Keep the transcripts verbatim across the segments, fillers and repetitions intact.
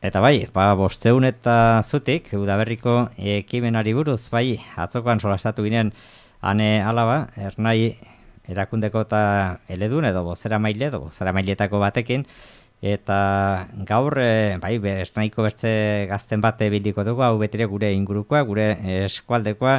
Eta bai, ba, bosteun eta zutik, udaberriko ekimenari buruz, bai, atzokoan solastatu ginen ane alaba, ernai erakundeko eta eledun edo bozera maile edo bozera mailetako batekin, eta gaur, e, bai, ernaiko bertze gazten bate bildiko dugu, hau betire gure ingurukoa, gure eskualdekoa,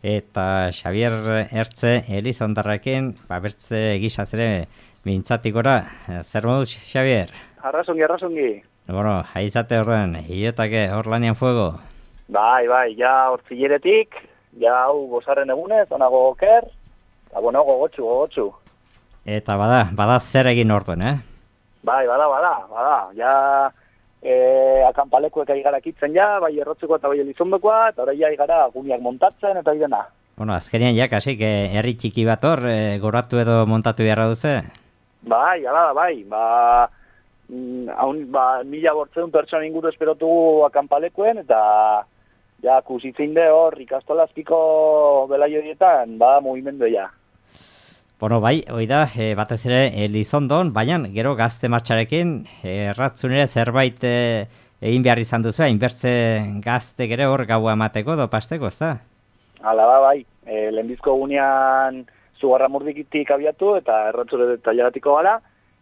eta Xabier Ertze Elizondarrekin, ba, bertze egizaz ere mintzatikora. Zer moduz, Xabier? Arrasongi, arrasongi. Bueno, haizate horren, hiotake hor lanian fuego. Bai, bai, ja hortzileretik, ja hau gozarren egunez, onago oker, eta bueno, gogotxu, gogotxu. Eta bada, bada zer egin orduen, eh? Bai, bada, bada, bada, ja e, akanpalekuek ari gara kitzen ja, bai errotzeko eta bai elizondokoa, eta orain ja gara guniak montatzen eta idena. Bueno, azkenean ja, kasik, herri txiki bat hor, e, goratu edo montatu beharra duze? Bai, ala da, bai, ba... Haun, ba, mila bortzeun pertsona inguru esperotugu akanpalekuen, eta ja, kusitzen de hor ikastolazpiko belaio dietan, ba, mugimendu ja. Bueno, bai, hoi da, e, batez ere Elizondon, baina gero gazte martxarekin, erratzun ere zerbait e, egin behar izan duzu, hainbertze gazte gere hor gaua emateko do pasteko, ez da? Hala da, bai, e, lehenbizko gunean zugarra murdikitik abiatu, eta erratzure tailaratiko gara,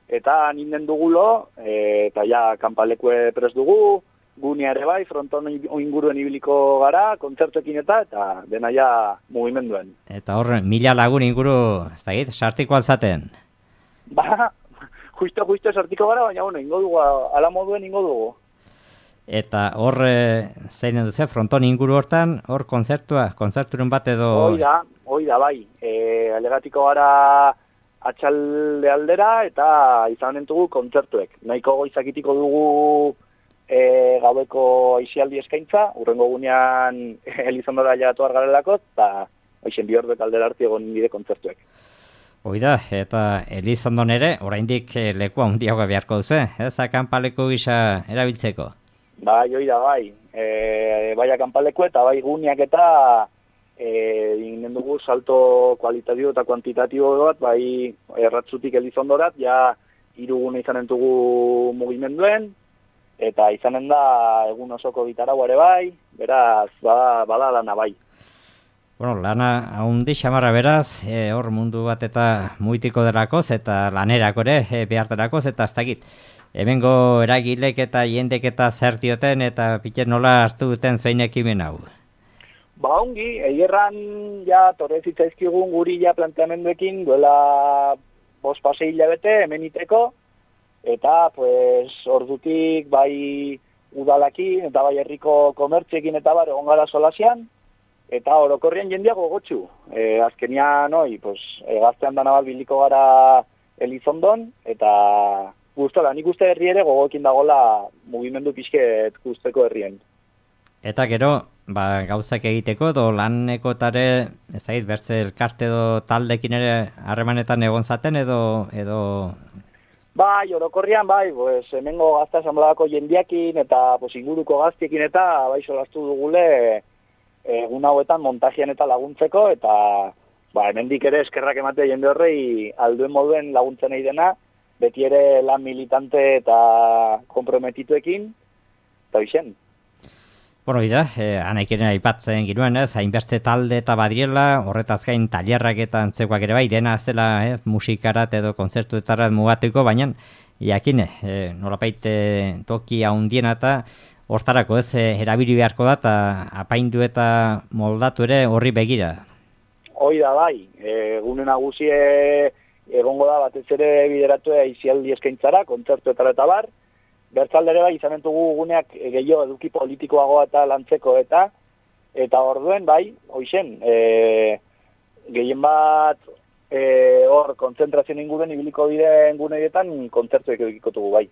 eta ninden dugulo, e, eta ja, kanpalekue pres dugu, gunea ere bai, fronton inguruen ibiliko gara, kontzertuekin eta, eta dena ja mugimenduen. Eta hor, mila lagun inguru, ez da git, sartiko alzaten? Ba, justo, justo sartiko gara, baina, bueno, ingo dugu, ala moduen ingo dugu. Eta hor, e, zein duzu, fronton inguru hortan, hor kontzertua, kontzerturen bat edo... Hoi da, hoi da, bai, e, alegatiko gara... atxalde aldera eta izan entugu kontzertuek. Nahiko goizakitiko dugu e, gaueko aizialdi eskaintza, urrengo gunean Elizondora jatu argarelako, eta hoixen bi orduek aldera harti egon nire kontzertuek. Oida, eta Elizondon ere, oraindik lekua handiagoa beharko duzu, ez akanpaleku gisa erabiltzeko? Bai, oida, bai. E, bai akanpaleku eta bai guneak eta egin dugu salto kualitatibo eta kuantitatibo bat, bai erratzutik Elizondorat, ja hirugune izanen dugu mugimenduen, eta izanen da egun osoko gitarau ere bai, beraz, bada, bada lana bai. Bueno, lana haundi xamarra beraz, e, hor mundu bat eta muitiko derakoz, eta lanerako ere e, behar derakoz, eta ez dakit. Hemengo eragilek eta jendek eta zer dioten, eta pitet nola hartu duten zein ekimen hau. Ba, ongi, egerran ja torre zitzaizkigun guri ja planteamenduekin duela bost pasei hilabete hemeniteko, eta pues ordutik bai udalakin eta bai herriko komertziekin eta bar egon gara solasian, eta orokorrian jendeago gogotxu. E, azkenian, oi, pues, e, gaztean dana bat biliko gara Elizondon, eta guztola, nik uste herri ere gogoekin dagola mugimendu pixket guzteko herrien. Eta gero, ba, gauzak egiteko, do lanekotare, ez da, bertze elkarte edo taldekin ere harremanetan egon zaten edo... edo... Bai, orokorrian, bai, pues, hemengo gazta asamblea jendiakin eta pues, inguruko gaztiekin eta bai solastu dugule egun hauetan montajian eta laguntzeko, eta ba, hemendik ere eskerrak emate jende horrei alduen moduen laguntzen nahi dena, beti ere lan militante eta komprometituekin, eta bixen. Bueno, ida, eh, anaikiren aipatzen ginuen, ez, hainbeste talde eta badirela, horretaz gain tailerrak eta antzekoak ere bai, dena ez dela eh, musikarat edo kontzertuetarat mugatuko, baina jakine, eh, nolapait eh, toki haundiena eta hortarako ez, eh, erabili beharko da, eta apaindu eta moldatu ere horri begira. Hoi da bai, e, gune nagusie egongo da batez ere bideratu aizialdi eskaintzara, kontzertuetara eta bar, bertzaldere bai izan entugu guneak gehiago eduki politikoagoa eta lantzeko eta eta orduen bai, hoixen, e, gehien bat e, hor kontzentrazioen inguruen ibiliko diren guneetan kontzertuek edukikotugu bai.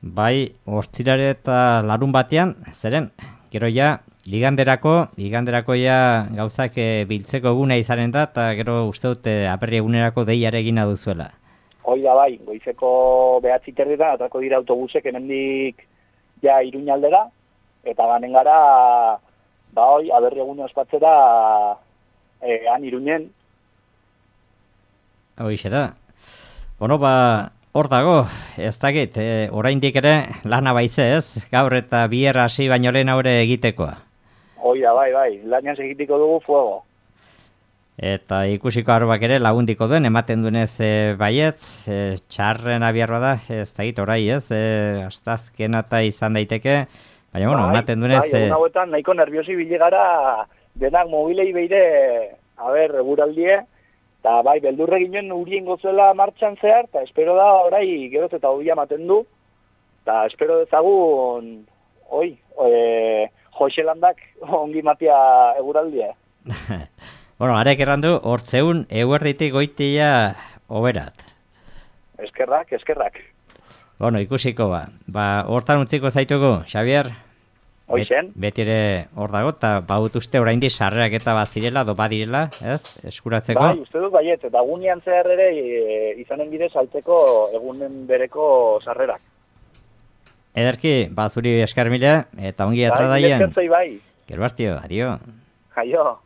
Bai, ostirare eta larun batean, zeren, gero ja, liganderako, liganderako ja gauzak e, biltzeko eguna izanen da, eta gero uste dute aperri egunerako deiare egina duzuela. Hoi da bai, goizeko behatzi terrietan atrako dira autobusek hemendik ja Iruñaldera, eta ganen gara, ba hoi, aberri egune ospatzera e, han Iruñen. Hoixe da. Bueno, ba, hor dago, ez dakit, e, oraindik ere lana baize ez, gaur eta bier hasi baino lehen aurre egitekoa. Oia, bai, bai, lanian segitiko dugu fuego. Eta ikusiko arbak ere lagundiko duen, ematen duenez e, baietz, e, txarren abiarra da, ez dakit, orai ez, e, astazkena eta izan daiteke, baina, bueno, bai, ematen duenez... Bai, egun hauetan nahiko nerviosi biligara denak mobilei beire, a ber, eguraldie, eta bai, beldurre ginen urien gozuela martxan zehar, eta espero da, orai, geroz eta hobi ematen du, eta espero dezagun, oi, e, Joxelandak ongi matia eguraldia. Bueno, arek errandu, hortzeun eguerditik goitia oberat. Eskerrak, eskerrak. Bueno, ikusiko ba. Ba, hortan utziko zaitugu, Xavier? Hoixen? Bet, beti ere hor dago, eta baut uste oraindik sarrerak eta bazirela, do badirela, ez? Eskuratzeko? Bai, uste dut baiet, eta gunean zehar ere e, izanen bidez saltzeko egunen bereko sarrerak. Ederki, ba, zuri esker mila, eta ongi atradaien. Bai, bai. Gero hartio, adio. Jaio.